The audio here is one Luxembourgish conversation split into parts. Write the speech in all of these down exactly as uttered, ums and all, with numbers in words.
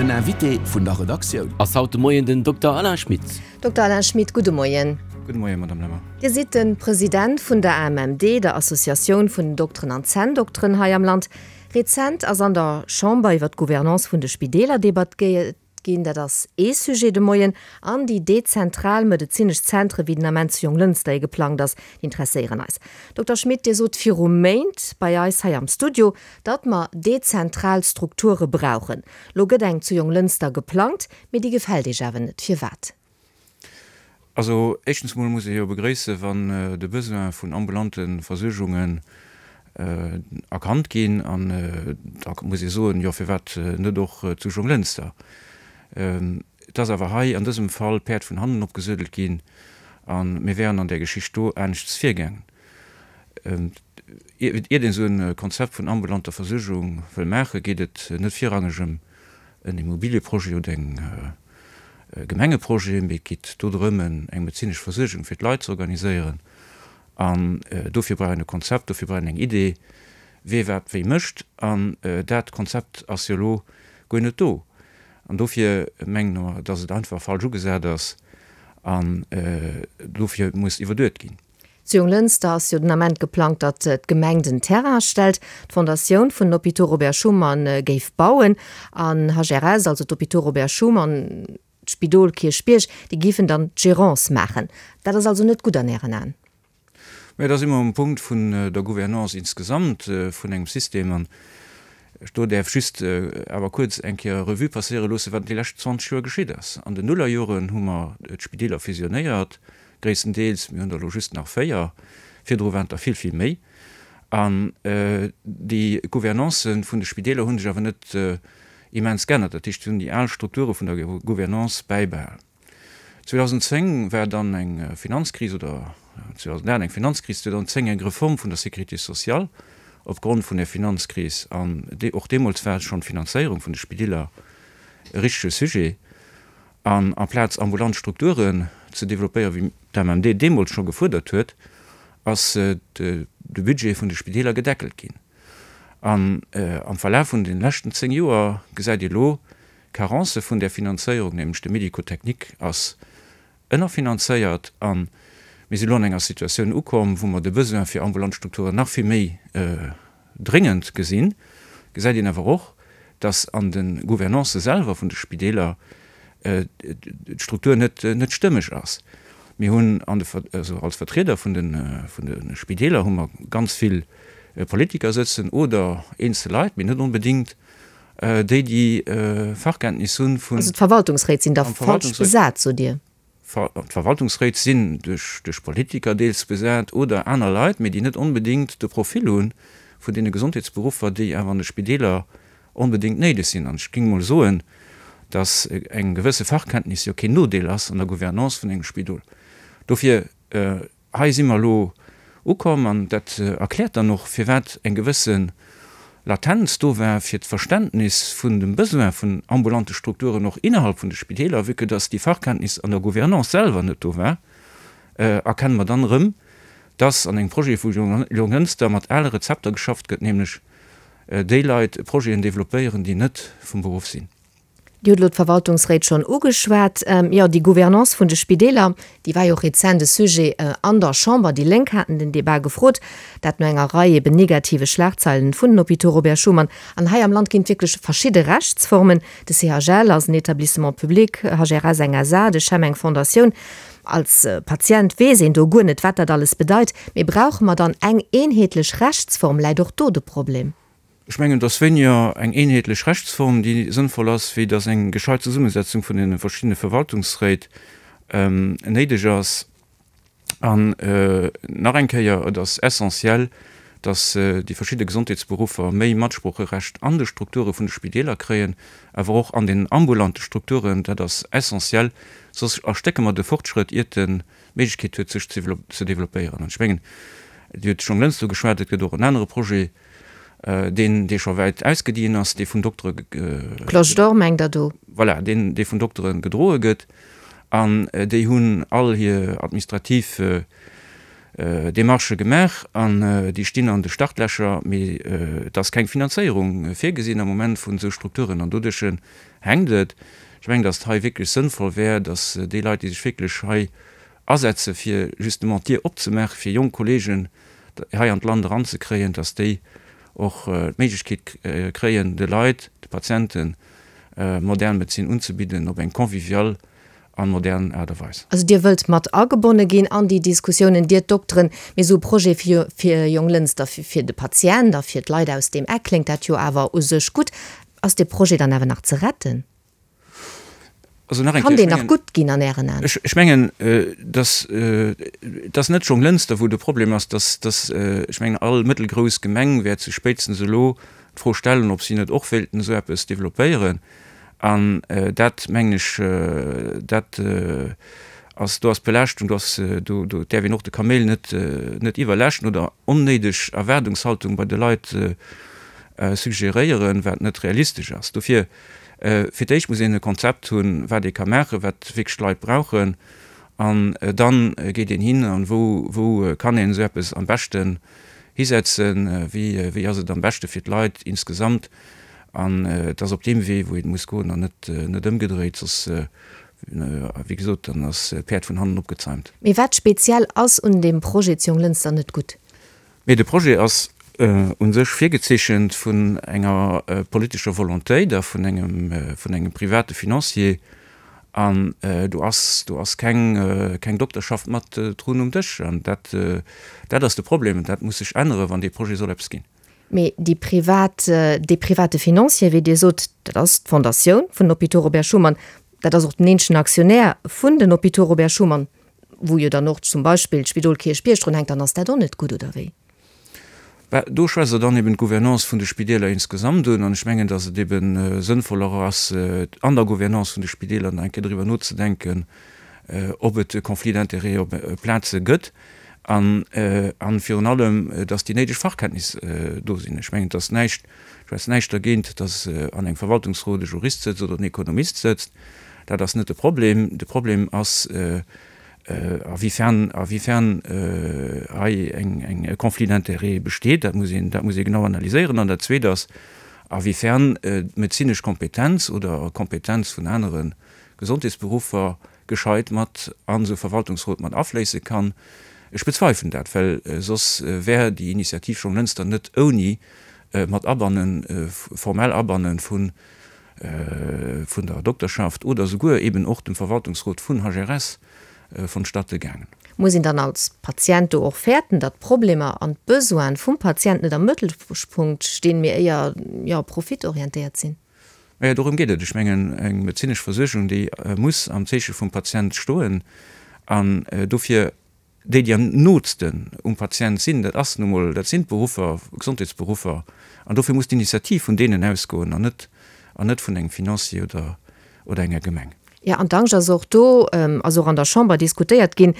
Den Invité vun der Redaktioun. Ass haut de Moien den Dokter Alain Schmit. Dokter Alain Schmit, gudde Moien. Gudde Moien, Madame Lemmer. Dir sidd de President vun der A M M D, der Associatioun vun den Dokteren an Zänndokteren hei am Land. Rezent ass an der Chamber iwwer d'Gouvernance vun de Spideeler debattéiert ginn. Dat ass ee Sujet de Moien. An déi dezentral medezinesch Zentre, wéi den Ament zu Jonglënster ee geplangt ass, déi interesséieren eis. Dokter Schmit, Dir sot viru Méint bei eis hei am Studio, datt mer dezentral Strukture brauchen. Lo gëtt eng zu Jonglënster geplangt, mee déi gefält Iech awer net. Firwat? Also, éischtens mol muss ech jo begréissen, wann, äh, de Besoin vun ambulante Versuergungen, äh, erkannt ginn an, äh, da muss ich soen, jo, firwat, äh, net och, äh, zu Jonglënster. Ähm, et ass awer hei an dësem Fall Päerd vun hannen opgesuedelt ginn an mir wären an der Geschicht do aneschts virgaangen. Ähm, ier, ier een so en Konzept vun ambulanter Versuergung wëll maachen, geet et net virrangeg ëm en Immobilieprojet oder eng, äh, Gemengeprojet, mee et geet do drëm, en, eng medezinesch Versuergung fir d'Leit ze organiséieren. An, äh, dofir brauch een e Konzept, dofir brauch een eng Idee, wie wat wéi mécht. An, äh, dat Konzept ass jo lo guer net do. An dofir mengen mer, dass et einfach falsch ugesat ass an, äh, dofir muss iwwerduet ginn. Zu Jonglënster ass jo den Ament geplangt, datt d'Gemeng den Terrain stellt. D'Fondatioun vun Hôpitaux Robert Schuman, äh, géif bauen an H R S, also d'Hôpitaux Robert Schuman, d'Spidol Kierchbierg, déi géifen dann d'Gérance maachen. Dat ass also net gutt an Ären Aen. Mä da si mer um Punkt vun, äh, der Gouvernance insgesamt, äh, vun engem System an ech do däerf just, äh, awer kuerz eng Kéier Revue passéiere loosse, wat déi lescht zwanzeg Joer geschitt ass. An den Nullerjoren hu mer d'Spideeler fusionéiert, gréisstendeels, mir hunn der lo just nach véier, virdru waren der vill, vill méi. An, äh, déi Gouvernance vun de Spideeler hunn sech awer net, äh, immens geännert. Dat heescht, hunn déi al Strukture vun der Gou-, Gouvernance bäibehalen. zweitausendzéng war dann eng, äh, Finanzkris oder zweitausendacht eng Finanzkris, zweitausendzéng eng Reform vun der Sécurité sociale opgrond vun der Finanzkris. An de-, och deemools war schon d'Finanzéierung vun de Spideeler e richtege Sujet. An amplaz ambulant Strukturen ze développéieren, wéi d'A M M D deemools scho gefuerdert huet, ass, äh, de, de Budget vun de Spideeler gedeckelt ginn. An, äh, am Verlauf vun den leschten zéng Joer gesäit Dir lo Carence vun der Finanzéierung, nämlech de Medikotechnik ass ënnerfinanzéiert an mir si lo an enger Situatioun ukomm, wou mer de Besoin fir ambulant Strukturen nach vill méi, äh, dringend gesinn. Gesäit een awer och, dass an den Gouvernance selwer vun de Spideeler, äh, d'Struktur net, net stëmmeg ass. Mir hunn an de Ver-, also als Vertrieder vun den, äh, vun den Spideeler hu mer ganz vill, äh, Politiker sëtzen oder eenzel Leit, mee net onbedingt, äh, déi, déi, äh, Fachkenntnis hunn vun Also d'Verwaltungsréit sinn da Am falsch Verwaltungsréit besat, so dir? Ver-, d'Verwaltungsréit sinn duerch, duerch Politiker deels besat oder aner Leit, mee déi net onbedingt de Profil hunn vun deene Gesondheetsberuffer, déi awer an de Spideeler onbedingt néideg sinn. An ech ging mol soen, dass eng gewësse Fachkenntnis jo keen Nodeel ass an der Gouvernance vun engem Spidol. Dofir, äh, hei si mer lo ukomm an dat, äh, erkläert dann och, firwat eng gewësse Latenz do war fir d'Verständnis vun dem Besoin vun ambulante Strukturen och innerhalb vun de Spideeler, vu que dass déi Fachkenntnis an der Gouvernance selwer net do war, äh, erkennen mer dann erëm, dass an engem Projet vu Jong-, Jonglënster mat ale Rezepter geschafft gëtt, nämlech, äh, déi Leit Projeten développéieren, déi net vum Beruf sinn. Dir hutt lo d'Verwaltungsréit schon ugeschwat. Ähm, ja, déi Gouvernance vun de Spideeler, déi war jo och rezent de Sujet, äh, an der Chamber. Déi Lénk haten den Debat gefrot, dat no enger Rei eben negative Schlagzeilen vun den Hôpitaux Robert Schuman. An hei am Land ginn wierklech verschidde Rechtsformen. De C H L ass en Établissement public, H R S eng S A, de C H E M eng Fondatioun. Als, äh, Patient weess een do guer net, wat dat alles bedeit. Mee brauche mer dann eng eenheetlech Rechtsform, läit och do de Problem? Ech mengen, dass wéiniger eng eenheetlech Rechtsform, déi sënnvoll ass, wéi dass eng gescheit Zesummesetzung vun den verschiedenen Verwaltungsréit, ähm, néideg ass. An, äh, nach eng Kéier, et ass essentiell, dass, äh, déi verschiedene Gesondheetsberuffer méi Matsprocherecht an de Strukture vun de Spideeler kréien, awer och an den ambulante Strukturen, dat ass essentiell, soss erstécke mer de Fortschrëtt, iert den Méiglechkeet huet, sech ze develop-, ze developpéieren. An ech mengen, Dir hutt schon längst do geschwat, et gëtt och en anere Projet, äh, deen, dee scho wäit ausgedient ass, dee vun Doktere ge-, äh, Cloche d'Or mengt der do? Voilà, deen, dee vun Doktere gedroe gëtt. An, äh, déi hunn all hir administrativ, äh, Demarchë gemaach an déi stinn an de Startlächer, mee et ass keng Finanzéierung virgesinn am Moment vun esou Strukturen an doduerch hänkt et. Ech mengen, datt et hei wierklech sënnvoll wär, datt déi Leit, déi sech wierklech hei asetze fir justement d'Dier opzemaache fir jonk Kolleegen hei an d'Land eranzekréien, datt déi och d'Méiglechkeet kréien, de Leit, de Patienten modern Medezin unzebidden op eng convivial an modern Aart a Weis. Also Dir wëllt mat agebonne ginn an déi Diskussiounen, Dir Dokteren, mee esou e Projet fir fir Jonglënster, fir de Patient a fir d'Leit aus deem Eck kléngt dat jo awer u sech gutt. Ass dee Projet dann awer nach ze retten? Also nach eng Kann Kéier, ech deen nach mengen, gutt ginn an Ären Aen? ech, ech mengen, dass, et ass net Jonglënster, wou de Problem ass, dass, dass, ech mengen, all mëttelgrouss Gemeng wäert sech spéitstens elo d'Fro stellen, ob si net och wéilten esou eppes développéieren. An dat, mengen ech, dat ass, do ass d'Belaaschtung, do ass, do, do däerf een och de Kaméil net, net iwwerlaaschten oder onnéideg Erwaardungshaltung bei de Leit suggeréieren, wat net realistesch ass. Dofir, fir d'éischt muss een e Konzept hunn, wat ee ka maachen, wat wierklech d'Leit brauchen, an dann geet een hin an wou, wou kann een esou eppes am beschten hisetzen, wéi, wéi ass et am beschte fir d'Leit insgesamt. An et ass op deem Wee, wou een muss goen an net, net ëmgedréit, soss, wéi gesot, dann ass d'Päerd vun hannen opgezäumt. Mee wat speziell ass un deem Projet zu Jonglënster net gutt? Mee de Projet ass u sech virgezeechent vun enger politescher Volontéit a vun engem, vun engem private Financier. An do ass, do ass keng, keng Dokterschaft mat drun um Dësch. An dat, dat ass de Problem. Dat muss sech änneren, wann dee Projet soll eppes ginn. Mee déi privat, dee private Financier, wéi Dir sot, dat ass d'Fondatioun vun den Hôpitaux Robert Schuman, dat ass och den eenzegen Aktionär vun den Hôpitaux Robert Schuman, wou jo dann och zum Beispill d'Spidol Kierchbierg drun hänkt, dann ass dat och net gutt, oder wéi? Bah, do schwätzt Der dann eben d'Gouvernance vun de Spideeler insgesamt un. An ech mengen, dass et eben sënnvoller ass, an der Gouvernance vun de Spideeler nach eng Kéier driwwer nozedenken, ob et e Conflit d'intérêts op Plaze gëtt an, an virun allem, dass déi néideg Fachkenntnis do sinn. Ech mengen, et ass näischt, schwätzt näischt dergéint, dass an engem Verwaltungsrot e Jurist sëtzt oder en Ekonomist sëtzt. Dat ass net de Problem. De Problem ass, a-wiefern, a-wiefern hei eng, eng, e Conflit d'intérêts besteet. Dat muss een, dat muss ee genau analyséieren. An dat Zweet ass, a-wiefern d'medezinesch Kompetenz oder Kompetenz vun anere Gesondheetsberuffer gescheit mat an esou e Verwaltungsrot mat afléisse kann. Ech bezweifelen dat, well soss wär déi Initiativ Jonglënster net ouni mat Abannen, formell Abannen vun, vun der Dokterschaft oder souguer eben och dem Verwaltungsrot vun H R S vonstatte gaangen. Muss een dann als Patient do och fäerten, datt d'Problemer an d'Besoine vum Patient net am Mëttelpunkt stinn, mee éier, jo, profitorientéiert sinn? Majo, dorëm geet et. Ech mengen, eng medezinesch Versuergung, déi muss am Zeeche vum Patient stoen. An dofir déi, déi am nootsten um Patient sinn, dat ass nu mol, dat sinn d'Beruffer, Gesondheetsberuffer. An dofir muss d'Initiativ vun deenen ausgoen an net, an net vun engem Financier oder, oder enger Gemeng. Jo, an d'Angscht ass och do, ass och an der Chamber diskutéiert ginn,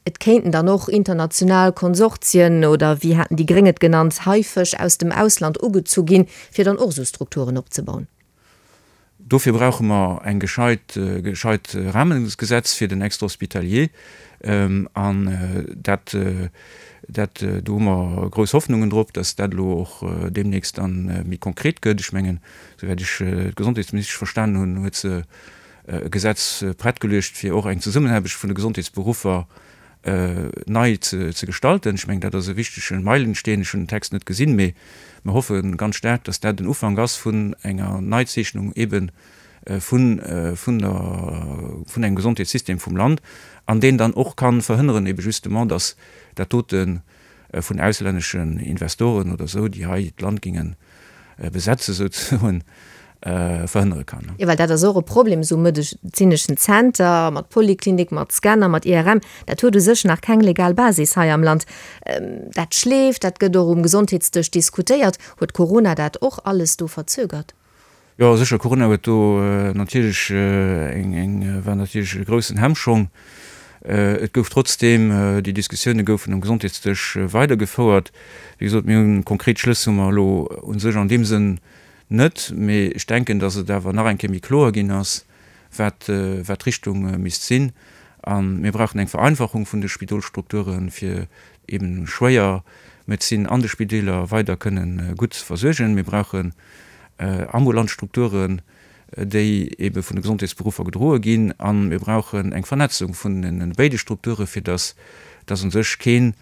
et kéinten dann och international Konsortien oder wéi haten déi Gréng et genannt, Haifësch aus dem Ausland ugezu ginn, fir dann och esou Strukturen opzebauen. Dofir brauche mer eng gescheit, gescheit Rahmengesetz fir den Extra-hospitalier. An dat, dat, do hu mer grouss Hoffnungen drop, dass dat elo och deemnächst dann méi konkret gëtt. Ech mengen, souwäit ech d'Gesondheetsministesch verstanen hunn, huet se e Gesetz prett geluecht, fir och eng Zesummenaarbecht vun de Gesondheetsberuffer nei ze gestalten. Ech mengen, dat ass e wichtege Meilensteen. Ech hunn den Text net gesinn, mee mer hoffe ganz staark, dass dat den Ufank ass vun enger Neizeechnung eebe vun, vun der, vun engem Gesondheetssystem vum Land, an deen dann och ka verhënneren eebe justement, dass dat dote vun auslänneschen Investoren oder esou, déi hei d'Land géinge besetzen souzesoen, verhënnere kann. Jo, well dat ass och e Problem, esou e medezineschen Zenter mat Poliklinik, mat Scanner, mat I R M, dat huet u sech nach keng legal Basis hei am Land. Dat schleeft, dat gëtt och um Gesondheetsdësch diskutéiert. Huet Corona dat och alles do verzögert? Jo, sécher, Corona huet do natierlech eng, eng, war natierlech e groussen Hemmschong. Et gouf trotzdeem, déi Diskussioune goufen um Gesondheetsdësch weidergefouert. Wéi gesot, mir hunn konkret Schlëss hu mer elo u sech an deem Sënn net, mee ech denken, datt et awer nach eng Kéier méi kloer ginn ass, wat, wat d'Richtung misst sinn. A mir brauchen eng Vereinfachung vun de Spidolsstrukturen, fir eben schwéier Medezin an de Spideeler weider kënnen gutt ze versuergen. Mir brauchen ambulant Strukturen, déi ebe vun de Gesondheetsberuffer gedroe ginn. A mir brauchen eng Vernetzung vun den béide Strukturen, fir dass dass u sech keen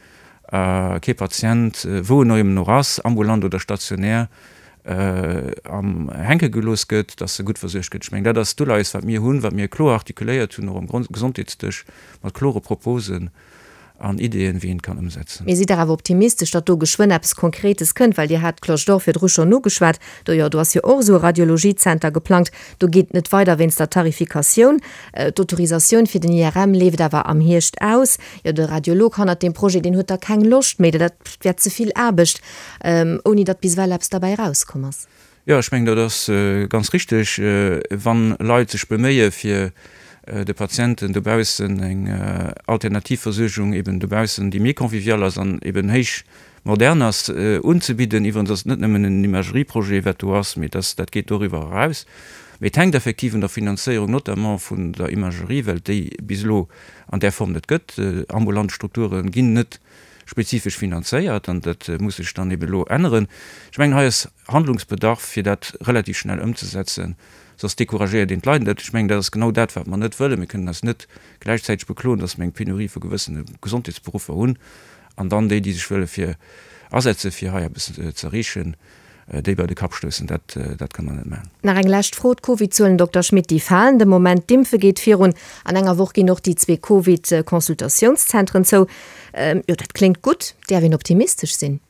kee Patient, wou en och ëmmer och ass, ambulant oder stationär, am hänke gelooss gëtt, dass e gutt versuergt gëtt. Ech mengen, dat ass d'Uleies, wat mir hunn, wat mir kloer artikuléiert hunn, och am Gesondheetsdësch, mat klore Proposen an Ideeën, wéi een et kann ëmsetzen. Mee sidd Der awer optimistesch, datt do geschwënn eppes Konkretes kënnt? Well Dir hat d'Cloche d'Or virdru schonn ugeschwat. Do, jo, do ass jo och esou e Radiologiezenter geplangt. Do geet et net weider wéinst der Tarifikatioun. D'Autorisatioun fir den I R M leeft awer am Hierscht aus. Jo, de Radiolog hannert deem Projet, deen huet da keng Loscht méi, dat wär ze vill Aarbecht, ouni datt bis ewell eppes derbäi erauskomm ass. Jo, ech mengen, dat ass ganz richteg. Wa Leit sech beméie fir de Patienten dobaussen eng alternativ Versuergung eben dobaussen, déi méi convivial ass an eben héich modern ass, unzebidden. Iwwerens ass et net nëmmen en Imagerieprojet, wat do ass, mee dat, dat geet doriwwer eraus. Mee et hänkt effektiv un der Finanzéierung, notamment vun der Imagerie, well et déi bis elo an där Form net gëtt. Ambulant Strukture ginn net spezifesch finanzéiert an dat muss sech dann eben elo änneren. Ech mengen, hei ass Handlungsbedarf, fir dat relativ schnell ëmzesetzen, soss decouragéiert een d'Leit net. Ech mengen, dat ass genau dat, wat mer net wëllen. Mir kënnen eis net gläichzäiteg bekloen, dass mer eng Penurie vu gewëssene Gesondheetsberuffer hunn an dann déi, déi sech wëlle fir asetze fir hei eppes ze erreechen, déi bei de Kapp stoussen. Dat, dat kënne mer net maachen. Nach eng lescht Fro, D'Covidzuelen, Dokter Schmit, déi falen de Moment, d'Impfe geet virun. An enger Woch ginn och déi zwee Covid-Consultatiounszentren zou. Jo, dat kléngt gutt. Däerf een optimistesch sinn?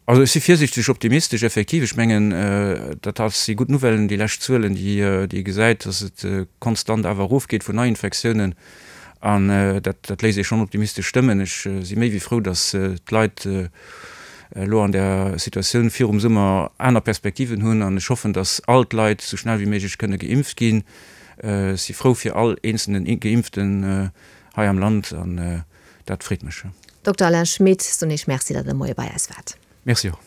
Also ech si virsiichteg optimistesch, effektiv. Ech mengen, dat ass si gutt Nouvellen, déi lescht Zuelen, déi ee gesäit, datt et konstant awer erofgeet vun Neiinfektiounen. An dat, dat léisst ee schonn optimistesch stëmmen. Ech si méi wéi frou, datt d'Leit elo an der Situatioun virum Summer aner Perspektiven hunn. An ech hoffen, datt all d'Leit esou schnell wéi méiglech kënne geimpft ginn. Ech si frou fir all eenzelnen Geimpften hei am Land an dat freet mech. Dokter Alain Schmit, soen ech Merci, datt Der de Moie bei eis waart. Merci och.